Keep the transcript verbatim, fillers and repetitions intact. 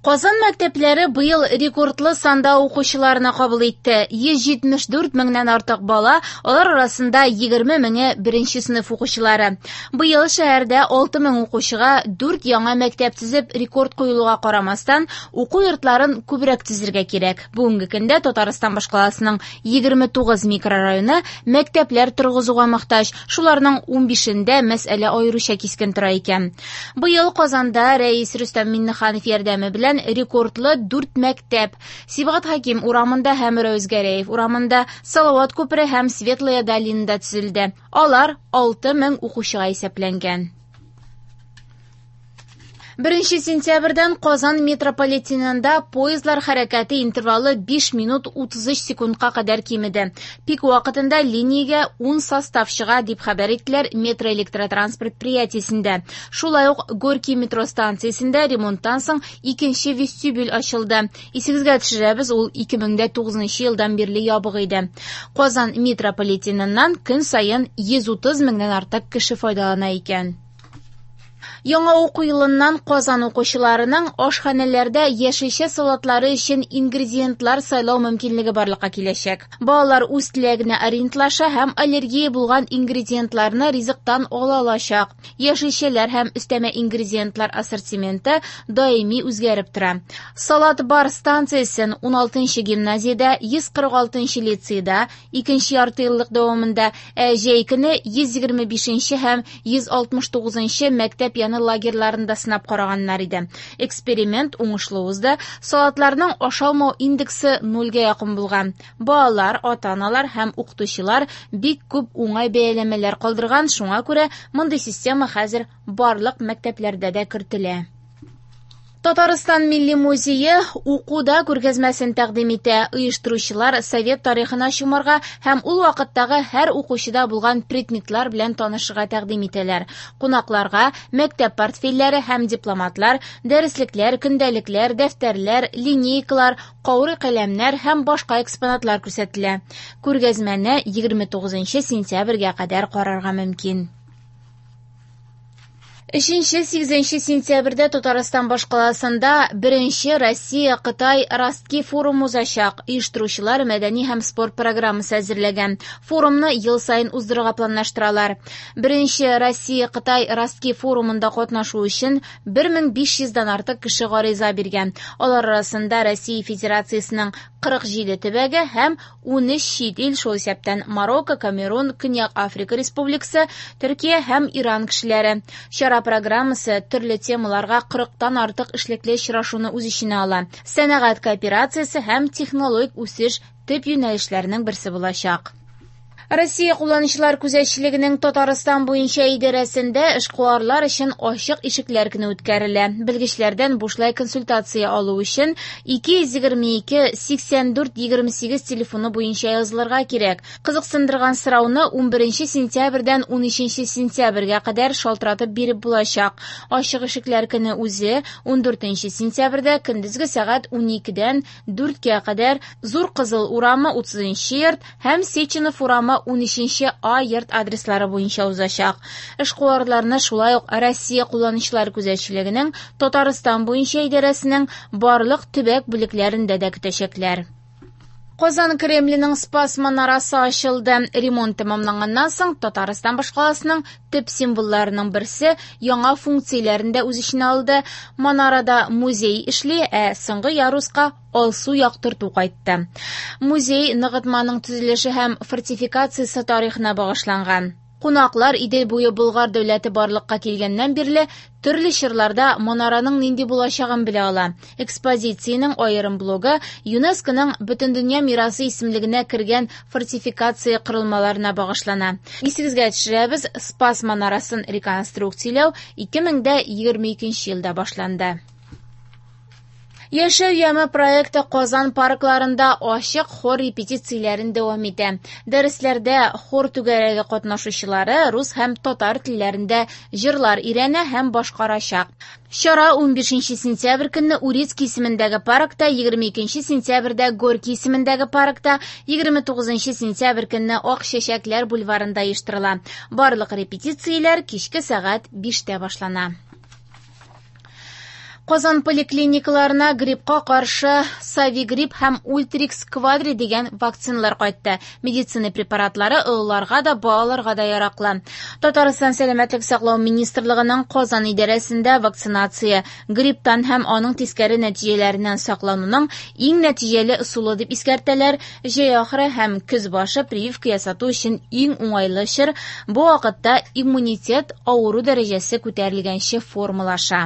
Казан мәктәпләре быел рекордлы санда укучыларны кабул итте. йөз җитмеш дүрт меңнән артык бала, алар арасында егерме меңе беренче сыйныф укучылары. Быел шәһәрдә алты мең укучыга дүрт яңа мәктәп төзеп рекорд куелуга карамастан, уку йортларын күбрәк төзергә кирәк. Бүгенге көндә Татарстан башкаласының егерме тугыз микрорайоны мәктәпләр торгызуга мохтаҗ. Шуларның унбишендә мәсьәлә аеруча кискен тора икән. Быел Казанда Рәис Рөстәм Миңнеханов ярдәме белән рекордлы дүрт мәктәп: Сибгат Хәким урамында һәм Рәүз Гәрәев урамында, Салават күпере һәм Светлая долинада төзелде. Алар алты мең укучыга исәпләнгән. Беренче сентябрьдән Казан метрополитенында поездлар хәрәкәте интервалы биш минут утыз өч секундка кадәр кимеде. Пик вакытында линиягә ун состав чыга, дип хәбәр иттеләр метроэлектротранс предприятиесендә. Шулай ук Горький метро станциясендә ремонттан соң икенче вестибюль ачылды. Исегезгә төшерәбез, ул ике мең дә тугызынчы елдан бирле ябык иде. Казан метрополитеныннан көн саен йөз утыз меңнән артык кеше файдалана икән. Яңа уку елыннан Казан укучыларының ашханәләрдә яшелчә салатлары өчен ингредиентлар сайлау мөмкинлеге барлыкка киләчәк. Балалар үз теләгенә ориентлаша һәм аллергия булган ингредиентларны ризыктан ала алачак. Яшелчәләр һәм өстәмә ингредиентлар ассортименты даими үзгәреп тора. Салат бар станциясен уналтынчы гимназиядә, йөз кырык алтынчы лицейда икенче ярты еллык дәвамында, ә җәй көне йөз егерме бишенче һәм йөз алтмыш тугызынчы мәктәп яны лагерьларында сынап караганнар иде. Эксперимент уңышлы узды. Салатларның ашалмау индексы нульгә якын булган. Балалар, ата-аналар һәм укытучылар бик күп уңай бәяләмәләр калдырган, шуңа күрә мондый система хәзер барлык мәктәпләрдә дә кертелә. Татарстан Милли музее укуда күргәзмәсен тәкъдим итә. Оештыручылар совет тарихына чумарга һәм ул вакыттагы һәр укучыда булган предметлар белән танышырга тәкъдим итәләр. Кунакларга мәктәп портфельләре һәм дипломатлар, дәреслекләр, көндәлекләр, дәфтәрләр, линейкалар, каурый каләмнәр һәм башка экспонатлар күрсәтелә. Күргәзмәне егерме тугызынчы сентябрьгә кадәр карарга мөмкин. Өченче, сигезенче сентябрьдә Татарстан башкаласында беренче Россия-Кытай Ростки форумы узачак. Оештыручылар мәдәни һәм спорт программасы әзерләгән. Форумны ел саен уздырырга планлаштыралар. Беренче Россия-Кытай Ростки форумында катнашу өчен бер мең биш йөздән артык кеше гариза биргән. Алар арасында Россия Федерациясенең кырык җиде төбәге һәм ун өч чит ил, шул исәптән Марокко, Камерун, Көньяк Африка Республикасы, Төркия һәм Иран кешеләре. Чара программасы төрле темаларга кырыктан артык эшлекле очрашуны үз эченә ала. Сәнәгать кооперациясе һәм технологик үсеш төп юнәлешләренең берсе булачак. Россия кулланучылар күзәтчелегенең Татарстан буенча идарәсендә эшкуарлар өчен ачык ишекләр көне үткәрелә. Белгечләрдән бушлай консультация алу өчен ике йөз егерме ике сиксән дүрт егерме сигез телефоны буенча язылырга кирәк. Кызыксындырган сорауны унберенче сентябрьдән унөченче сентябрьгә кадәр шалтыратып биреп булачак. Ачык ишекләр көне үзе ундүртенче сентябрьдә көндезге сәгать уникедән дүрткә кадәр Зур Кызыл урамы утызынчы йорт һәм Сеченов урамы унөченче А йорт адреслары буенча узачак. Эшкуарларны шулай ук Россия кулланучылар күзәтчелегенең Татарстан буенча идарәсенең барлык төбәк бүлекләрендә дә көтәчәкләр. Казан Кремленең Спас манарасы ачылды. Ремонт тәмамланганнан соң Татарстан башкаласының төп символларының берсе яңа функцияләрен дә үз эченә алды. Манарада музей эшли, ә соңгы яруска алсу яктырту кайтты. Музей ныгытманың төзелеше һәм фортификациясе тарихына багышланган. Кунаклар Идел буе Болгар дәүләте барлыкка килгәннән бирле төрле чорларда манараның нинди булачагын белә ала. Экспозициянең аерым блогы ЮНЕСКОның Бөтендөнья мирасы исемлегенә кергән фортификация корылмаларына багышлана. Исегезгә төшерәбез, Спас манарасын реконструкцияләү ике мең дә егерме икенче елда башланды. Яшәү яме проекты Казан паркларында ачык хор репетицияләрен дәвам итә. Дәресләрдә хор түгәрәге катнашучылары рус һәм татар телләрендә җырлар өйрәнә һәм башкарачак. Чара унбишенче сентябрь көнне Урицкий исемендәге паркта, егерме икенче сентябрьдә Горький исемендәге паркта, егерме тугызынчы сентябрь көнне Ак чәчәкләр бульварында оештырыла. Барлык репетицияләр кичке сәгать биштә башлана. Казан поликлиникаларына гриппка каршы Совигрипп һәм Ультрикс Квадри дигән вакциналар кайтты. Медицина препаратлары олыларга да, балаларга да яраклы. Татарстан Сәламәтлек саклау министрлыгының Казан идарәсендә вакцинация грипптан һәм аның тискәре нәтиҗәләреннән саклануның иң нәтиҗәле ысулы дип искәртәләр. Җәй ахыры һәм көз башы прививка ясату өчен иң уңайлы чор. Бу вакытта иммунитет авыру дәрәҗәсе күтәрелгәнче формалаша.